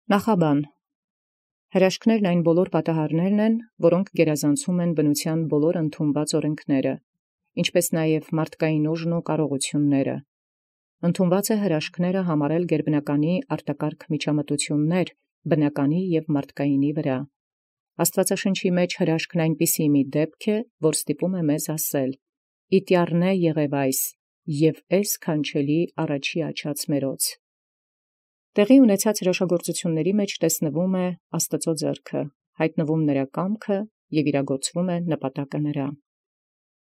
Նախաբան. հրաշքներն այն բոլոր պատահարներն են, որոնք գերազանցում են բնութեան բոլոր ընդունված օրենքները, ինչպէս նաև մարդկային ուժն ու կարողութիւնները. ընդունված է հրաշքները համարել գերբնականի արտակարգ միջամտություններ բնականի և մարդկայինի վրա. Աստուածաշնչի մեջ հրաշքն այնպիսի մի դեպք է, որ ստիպում է մեզ ասել. «Իտյառնե եղև այս, և էս քանչելի առաջի աչած մերոց»։ Տեղի ունեցած հրաշագործությունների մեջ տեսնվում է Աստուծոյ ձեռքը, հայտնվում նրա կամքը և իրագործվում է նպատակը նրա։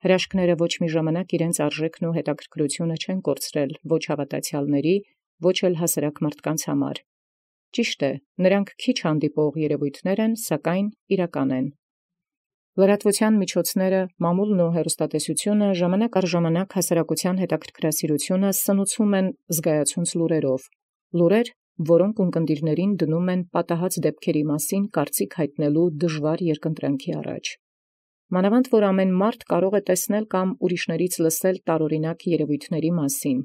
Հրաշքները ոչ մի ժամանակ իրենց արժեքն ու հետաքրքրությունը չեն կորցրել ոչ հավատացյալների, ոչ էլ հասարակ մարդկանց համար։ Ճիշտ է, նրանք քիչ հանդիպող երևույթներ են, սակայն իրական են։ Լրատվության միջոցները, մամուլն ու հեռուստատեսությունը ժամանակ առ ժամանակ հասարակության հետաքրքրասիրությունը սնուցում են զգայացունց լուրերով, լուրեր, որոնք ունկնդիրներին դնում են պատահած դեպքերի մասին կարծիք հայտնելու դժվար երկընտրանքի առաջ։ Մանավանդ որ ամեն մարդ կարող է տեսնել կամ ուրիշներից լսել տարօրինակ երևույթների մասին։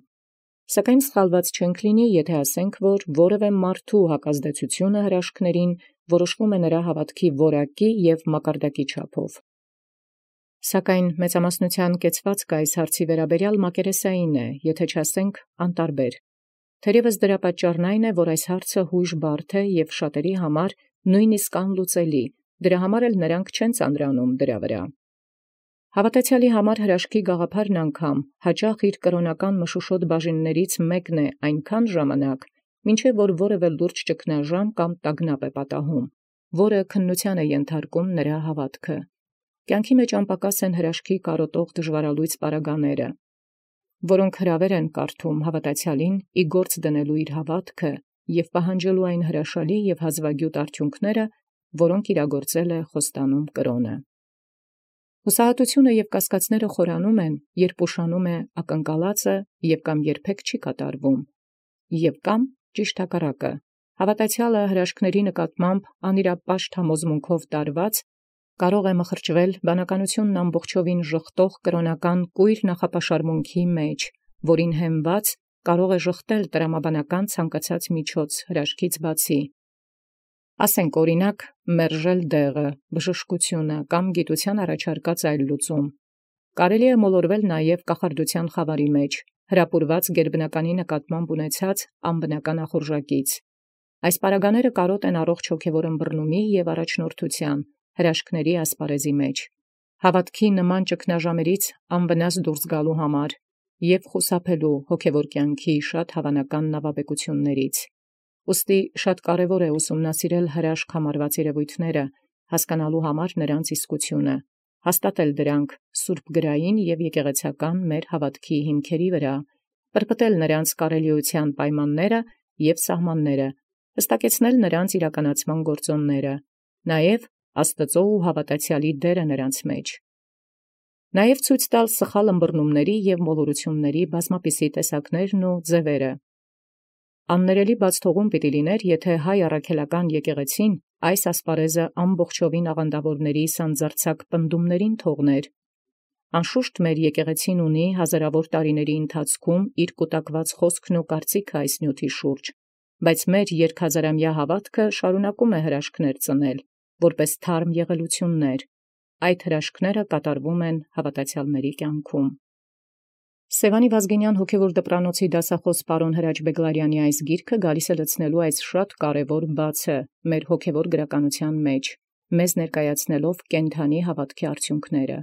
Սակայն սխալված չենք լինի, եթե ասենք, որ որևէ մարդու հակազդեցությունը հրաշքներին որոշվում է նրա հավատքի որակի և մակարդակի չափով։ Սակայն մեծամասնության կեցվածքը այս հարցի վերաբերյալ մակերեսային է, եթե չասենք անտարբեր։ Թերևս դրա պատճառն այն է, որ այս հարցը հույժ բարդ է և շատերի համար նույնիսկ անլուծելի, դրա համար էլ նրանք չեն ծանրանում դրա վրա։ Հավատացյալի համար հրաշքի գաղափարն անգամ հաճախ իր կրոնական մշուշոտ բաժիններից մեկն է այնքան ժամանակ, մինչև որ որևէ լուրջ ճգնաժամ կամ տագնապ է պատահում, որը քննության է ենթարկում նրա հավատքը։ Կյանքի մեջ անպակաս են հրաշքի կարոտող դժվարալույծ պարագաները, որոնք հրավեր են կարդում հավատացյալին ի գործ դնելու իր հավատքը և պահանջելու այն հրաշալի և հազվագյուտ արդյունքները, որոնք իրագործել է խոստանում կրոնը։ Հուսահատությունը և կասկածները խորանում են, երբ ուշանում է ակնկալածը և կամ երբեք չի կատարվում, և կամ ճիշտ հակառակը։ Հավատացյալը հրաշքների նկատմամբ անիրապաշտ համոզմունքով տարված կարող է մխրճվել բանականությունն ամբողջովին ժխտող կրոնական կույր նախապաշարմունքի մեջ, որին հենված կարող է ժխտել տրամաբանական ցանկացած միջոց հրաշքից բացի։ Ասենք օրինակ մերժել դեղը, բժշկությունը կամ գիտության առաջարկած այլ լուծում։ Կարելի է մոլորվել նաև կախարդության խավարի մեջ, հրապուրված գերբնականի նկատմամբ ունեցած անբնական ախորժակից։ Այս պարագաները կարոտ են առողջ հոգևոր ըմբռնումի և առաջնորդության, հրաշքների ասպարեզի մեջ, հավատքի նման ճգնաժամերից անվնաս դուրս գալու համար և խուսափելու հոգևոր կյանքի շատ հավանական նավաբեկություններից։ Ուստի շատ կարևոր է ուսումնասիրել հրաշք համարված երևույթները, հասկանալու համար նրանց իսկությունը, հաստատել դրանք սուրբ գրային և եկեղեցական մեր հավատքի հիմքերի վրա, պրպտել նրանց կարելիության պայմանները և սահմանները, հստակեցնել նրանց իրականացման գործոնները, նաև Աստծո ու հավատացյալի դերը նրանց մեջ։ Նաև ցույց տալ սխալ ըմբռնումների և մոլորությունների բազմապիսի տեսակներն ու ձևերը։ Աններելի բաց թողում պիտի լիներ, եթե հայ առաքելական եկեղեցին այս ասպարեզը ամբողջովին աղանդավորների սանձարձակ պնդումներին թողներ։ Անշուշտ մեր եկեղեցին ունի հազարավոր տարիների ընթացքում իր կուտակված խոսքն ու կարծիքը այս նյութի շուրջ, բայց մեր երկհազարամյա հավատքը շարունակում է հրաշքներ ծնել, որպես թարմ եղելություններ։ Այդ հրաշքները կատարվում են հավատացյալների կյանքում։ Սևանի Վազգենյան հոգևոր դպրանոցի դասախոս պարոն Հրաչ Բեգլարյանի այս գիրքը գալիս է լցնելու այս շատ կարևոր բացը մեր հոգևոր գրականության մեջ, մեզ ներկայացնելով կենդանի հավատքի արդյունքները։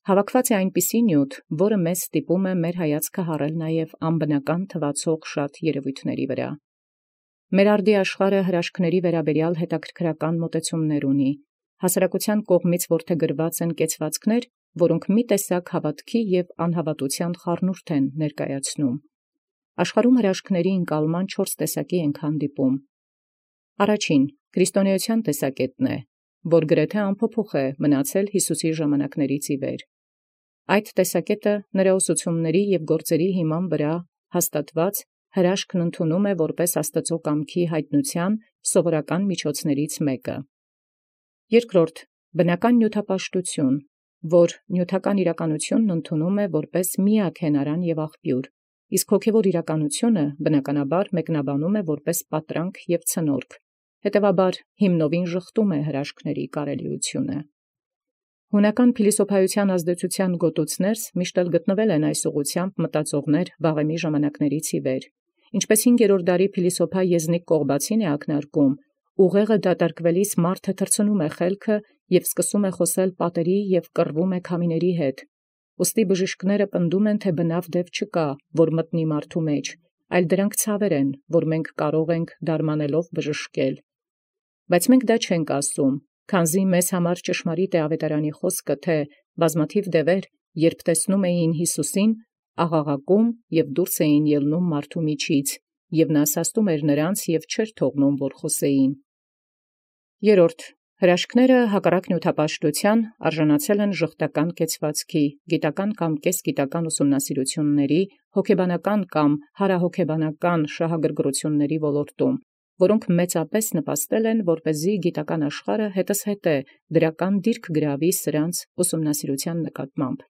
Հավաքված է այնպիսի նյութ, որը մեզ ստիպում է մեր հայացքը հառել նաև անբնական թվացող շատ երևույթների վրա։ Մեր արդի աշխարհը հրաշքների վերաբերյալ հետաքրքրական մոտեցումներ ունի։ Հասարակության կողմից որդեգրված են կեցվածքներ, որոնք մի տեսակ հավատքի և անհավատության խառնուրդ են ներկայացնում։ Աշխարհում հրաշքների ընկալման 4 տեսակի ենք հանդիպում։ Առաջին քրիստոնեության տեսակետն է, որ գրեթե անփոփոխ է մնացել Հիսուսի ժամանակներից ի վեր։ Այդ տեսակետը նրա ուսուցումների և գործերի հիման վրա հաստատված հրաշքն ընդունում է որպես Աստծո կամքի հայտնության սովորական միջոցներից մեկը։ Երկրորդ բնական նյութապաշտություն, որ նյութական իրականությունն ընդունում է որպես միակ հենարան և աղբյուր, իսկ հոգևոր իրականությունը բնականաբար մեկնաբանում է որպես պատրանք և ցնորք, հետևաբար հիմնովին ժխտում է հրաշքների կարելիությունը։ Հունական փիլիսոփայության ազդեցության գոտուցներս միշտ էլ գտնվել են այս ուղղությամբ մտածողներ վաղեմի ժամանակներից ի վեր։ Ինչպես 5-րդ դարի փիլիսոփա Եզնիկ Կողբացին է ակնարկում, ուղեղը դատարկվելիս մարդը թռցնում է խելքը և սկսում է խոսել պատերի և կռվում է քամիների հետ։ Ուստի բժիշկները պնդում են, թե բնավ դև չկա, որ մտնի մարդու մեջ, այլ դրանք ցավեր են, որ մենք կարող ենք դարմանելով բժշկել։ Բայց մենք դա չենք ասում, քանզի մեզ համար ճշմարիտ է ավետարանի խոսքը, թե բազմաթիվ դևեր, երբ տեսնում էին Հիսուսին, աղաղակում և դուրս էին ելնում մարդու միջից, և նա սաստում էր նրանց և չէր թողնում, որ խոսեին։ 3. Հրաշքները հակառակ նյութապաշտության արժանացել են ժխտական կեցվածքի, գիտական կամ կեսգիտական ուսումնասիրությունների, հոգեբանական կամ հարահոգեբանական շահագրգռությունների ոլորտում, որոնք մեծապես նպաստել են, որպեսզի գիտական աշխարհը հետզհետե դրական դիրք գրավի սրանց ուսումնասիրության նկատմամբ։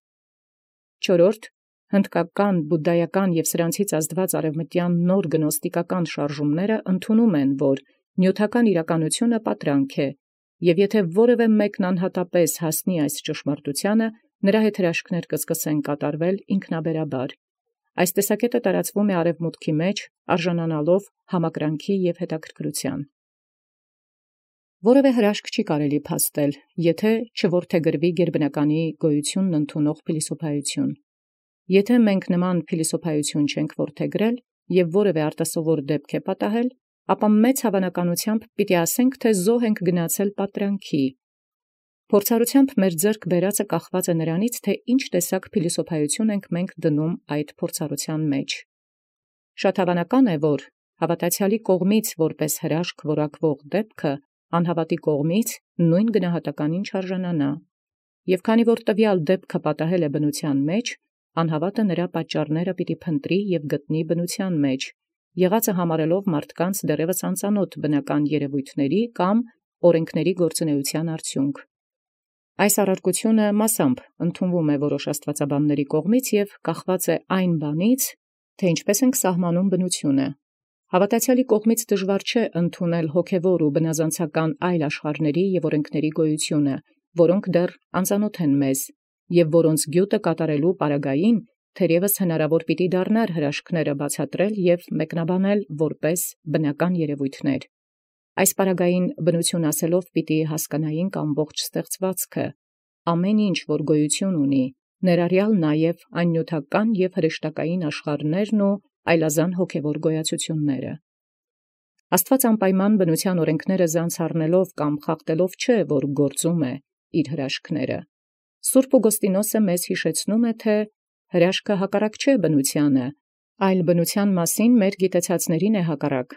4. Հնդկական, բուդդայական և սրանցից ազդված արևմտյան նոր գնոստիկական շարժումները ընդունում են, որ նյութական իրականությունը պատրանք է, և եթե որևէ մեկն անհատապես հասնի այս ճշմարտությանը, նրա հետ հրաշքներ կսկսեն կատարվել ինքնաբերաբար։ Այս տեսակետը տարածվում է արևմուտքի մեջ, արժանանալով համակրանքի և հետաքրքրության։ Որևէ հրաշք չի կարելի փաստել, եթե չորդեգրվի գերբնականի գոյությունն ընդունող փիլիսոփայություն։ Եթե մենք նման փիլիսոփայություն չենք որդեգրել և որևէ արտասովոր դեպք է պատահել, ապա մեծ հավանականությամբ պիտի ասենք, թե զոհ ենք գնացել պատրանքի։ Փորձառությամբ մեր ձեռք բերածը կախված է նրանից, թե ինչ տեսակ փիլիսոփայություն ենք մենք դնում այդ փորձառության մեջ։ Շատ հավանական է, որ հավատացյալի կողմից որպես հրաշք որակվող դեպքը անհավատի կողմից նույն գնահատականին չարժանանա։ Եւ քանի որ տվյալ դեպքը պատահել է բնության մեջ, անհավատը նրա պատճառները պիտի փնտրի եւ գտնի բնության մեջ, եղածը համարելով մարդկանց դեռևս անծանոթ բնական երևույթների կամ օրենքների գործունեության արդյունք։ Այս առարկությունը մասամբ ընդունվում է որոշ աստվածաբանների կողմից եւ կախված է այն բանից, թե ինչպես ենք սահմանում բնությունը։ Հավատացյալի կողմից դժվար չէ ընդունել հոգևոր ու բնազանցական այլ աշխարհների եւ օրենքների գոյությունը, որոնք դեռ անծանոթ են մեզ, եւ որոնց գյուտը կատարելու պարագային թերևս հնարավոր պիտի դառնար հրաշքները բացատրել եւ մեկնաբանել որպես բնական երևույթներ։ Այս պարագային բնություն ասելով պիտի հասկանայինք ամբողջ ստեղծվածքը, ամեն ինչ, որ գոյություն ունի, ներառյալ նաև այն նյութական և հրեշտակային աշխարհներն ու այլազան հոգևոր գոյացությունները։ Աստված անպայման բնության օրենքները զանց առնելով կամ խախտելով չէ, որ գործում է իր հրաշքները։ Սուրբ Օգոստինոսը մեզ հիշեցնում է, թե հրաշքը հակառակ չէ բնությանը, այլ բնության մասին մեր գիտեցածներին է հակառակ։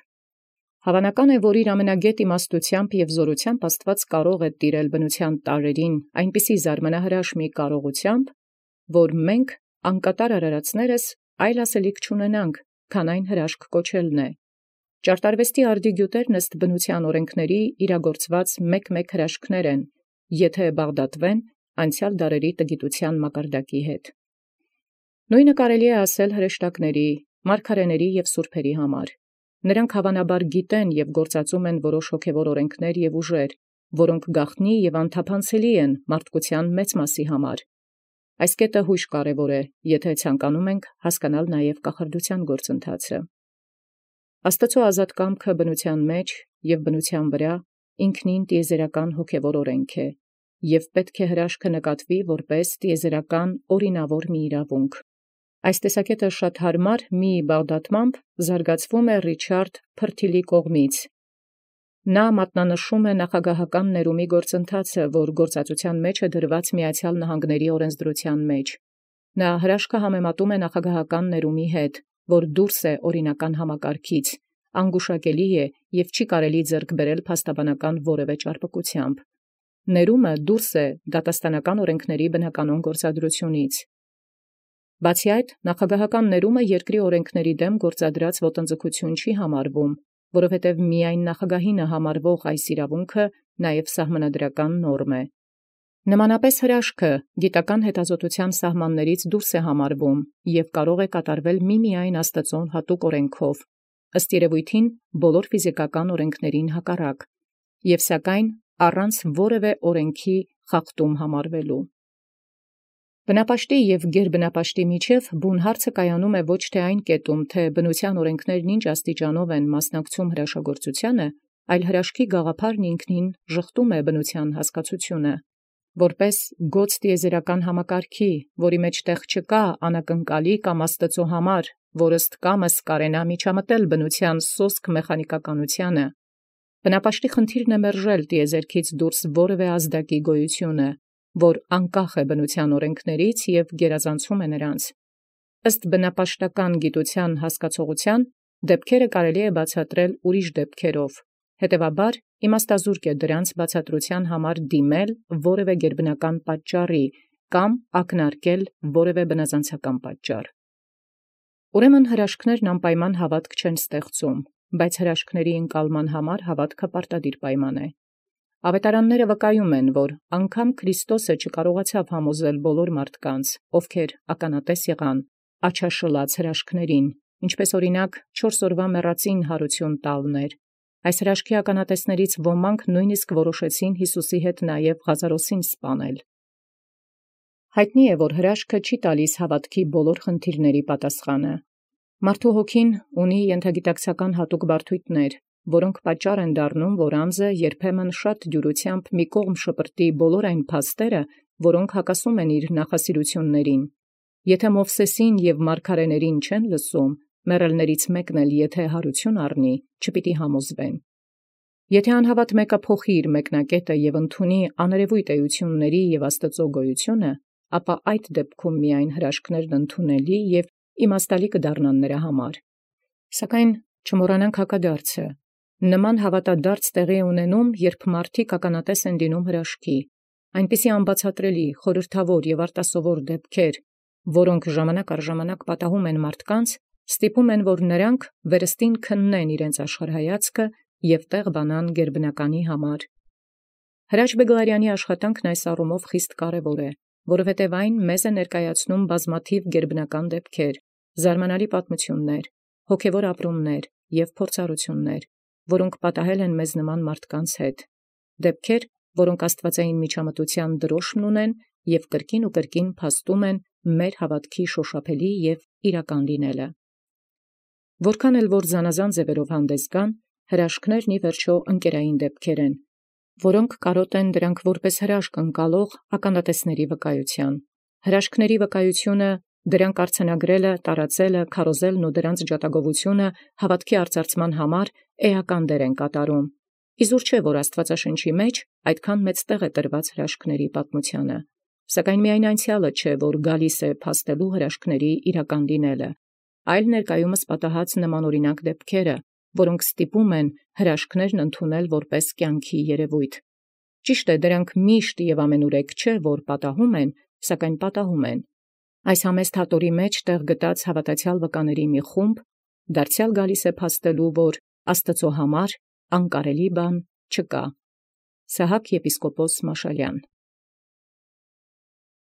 Հավանական է, որ իր ամենագետ իմաստությամբ և զորությամբ Աստված կարող է տիրել բնության տարրերին այնպիսի զարմանահրաշ մի կարողությամբ, որ մենք անկատար արարածներս այլ ասելիք չունենանք, քան այն հրաշք կոչելն է։ Ճարտարվեստի արդի գյուտերն ըստ բնության օրենքների իրագործված մեկ հրաշքներ են, եթե բաղդատվեն անցյալ դարերի տգիտության մակարդակի հետ։ Նույնը կարելի է ասել հրեշտակների, մարգարեների և սուրբերի համար։ Նրանք հավանաբար գիտեն և գործածում են որոշ հոգևոր օրենքներ և ուժեր, որոնք գաղտնի և անթափանցելի են մարդկության մեծ մասի համար։ Այս կետը հույժ կարևոր է, եթե ցանկանում ենք հասկանալ նաև կախարդության գործընթացը։ Աստծո ազատ կամքը բնության մեջ և բնության վրա ինքնին տիեզերական հոգևոր օրենք է, և պետք է հրաշքը նկատվի որպես տիեզերական օրինավոր մի իրավունք։ Այս տեսակետը շատ հարմար մի բաղդատմամբ զարգացվում է Ռիչարդ Փրթիլի կողմից։ Նա մատնանշում է նախագահական ներումի գործընթացը, որ գործածության մեջ է դրված Միացյալ Նահանգների օրենսդրության մեջ։ Նա հրաշքը համեմատում է նախագահական ներումի հետ, որ դուրս է օրինական համակարգից, անգուշակելի է և չի կարելի ձեռք բերել փաստաբանական որևէ ճարպկությամբ։ Ներումը դուրս է դատաստանական օրենքների բնականոն գործադրությունից։ Բացի այդ, նախագահական ներումը երկրի օրենքների դեմ գործադրած ոտնձգություն չի համարվում, որովհետև միայն նախագահին համարվող այս իրավունքը նաև սահմանադրական նորմ է։ Նմանապես հրաշքը գիտական հետազոտության սահմաններից դուրս է համարվում և կարող է կատարվել միմիայն Աստծուն հատուկ օրենքով, ըստ երևոյթին բոլոր ֆիզիկական օրենքներին հակառակ, և սակայն առանց որևէ օրենքի խախտում համարվելու։ Բնապաշտի և գերբնապաշտի միջև բուն հարցը կայանում է ոչ թե այն կետում, թե բնության օրենքներն ինչ աստիճանով են մասնակցում հրաշագործությանը, այլ հրաշքի գաղափարն ինքնին ժխտում է բնության հասկացությունը, որպես գոց տիեզերական համակարգի, որի մեջ տեղ չկա անակնկալի կամ աստծո համար, որ ըստ կամս կարենա միջամտել բնության սոսկ մեխանիկականությանը։ Բնապաշտի խնդիրն է մերժել տիեզերքից դուրս որևէ ազդակի գոյությունը, որ անկախ է բնության օրենքներից և գերազանցում է նրանց։ Ըստ բնապաշտական գիտության հասկացողության, դեպքերը կարելի է բացատրել ուրիշ դեպքերով, հետևաբար իմաստազուրկ է դրանց բացատրության համար դիմել որևէ գերբնական պատճառի կամ ակնարկել որևէ բնազանցական պատճառ։ Ուրեմն հրաշքներն անպայման հավատք չեն ստեղծում, բայց հրաշքների ընկալման համար հավատքը պարտադիր պայման է։ Ավետարանները վկայում են, որ անգամ Քրիստոսը չկարողացավ համոզել բոլոր մարդկանց, ովքեր ականատես եղան աչաշլաց հրաշքներին, ինչպես օրինակ 4 օրվա մեռածին հարություն տալն էր։ Այս հրաշքի ականատեսներից ոմանք նույնիսկ որոշեցին Յիսուսի հետ նաև Ղազարոսին սպանել։ Հայտնի է, որ հրաշքը չի տալիս հավատքի բոլոր խնդիրների պատասխանը։ Մարդու հոգին ունի ենթագիտակցական հատուկ բարդույթներ, որոնք պատճառ են դառնում, որ անձը երբեմն շատ դյուրությամբ մի կողմ շպրտի բոլոր այն փաստերը, որոնք հակասում են իր նախասիրություններին։ Եթե Մովսեսին և մարգարեներին չեն լսում, մեռելներից մեկն էլ եթե հարություն առնի, չպիտի համոզվեն։ Եթե անհավատ մեկը փոխի իր մեկնակետը և ընդունի աներևույթ էությունների և Աստծո գոյությունը, ապա այդ դեպքում միայն հրաշքներն ընդունելի և իմաստալի կդառնան նրա համար։ Սակայն չմոռանանք հակադարձը. նման հավատադարձ տեղի է ունենում, երբ մարդիկ ականատես են լինում հրաշքի, այնպիսի անբացատրելի, խորհրդավոր և արտասովոր դեպքեր, որոնք ժամանակ առ ժամանակ պատահում են մարդկանց, ստիպում են, որ նրանք վերստին քննեն իրենց աշխարհայացքը և տեղ բանան գերբնականի համար։ Հրաչ Բեգլարյանի աշխատանքն այս առումով խիստ կարևոր է, որովհետև այն մեզ է ներկայացնում բազմաթիվ գերբնական դեպքեր, զարմանալի պատմություններ, հոգևոր ապրումներ և փորձառություններ, որոնք պատահել են մեզ նման մարդկանց հետ, դեպքեր, որոնք աստվածային միջամտության դրոշմն ունեն և կրկին ու կրկին փաստում են մեր հավատքի շոշափելի և իրական լինելը։ Որքան էլ որ զանազան ձևերով հանդես գան, հրաշքներն ի վերջո ընկերային դեպքեր են, որոնք կարոտ են դրանք որպես հրաշք ընկալող ականատեսների վկայության։ Հրաշքների վկայությունը, դրանք արձանագրելը, տարածելը, քարոզելն ու դրանց ջատագովությունը հավատքի արծարծման համար էական դեր են կատարում։ Իզուր չէ, որ Աստվածաշնչի մեջ այդքան մեծ տեղ է տրված հրաշքների պատմությանը, սակայն միայն անցյալը չէ, որ գալիս է փաստելու հրաշքների իրական լինելը, այլ ներկայումս պատահած նմանօրինակ դեպքերը, որոնք ստիպում են հրաշքներն ընդունել որպես կյանքի երևույթ։ Ճիշտ է, դրանք միշտ և ամենուրեք չէ, որ պատահում են, սակայն պատահում են։ Այս համեստ հատորի մեջ տեղ գտած հավատացյալ վկաների մի խումբ դարձյալ գալիս է փաստելու, որ Աստծո համար անկարելի բան չկա։ Սահակ եպիսկոպոս Մաշալյան։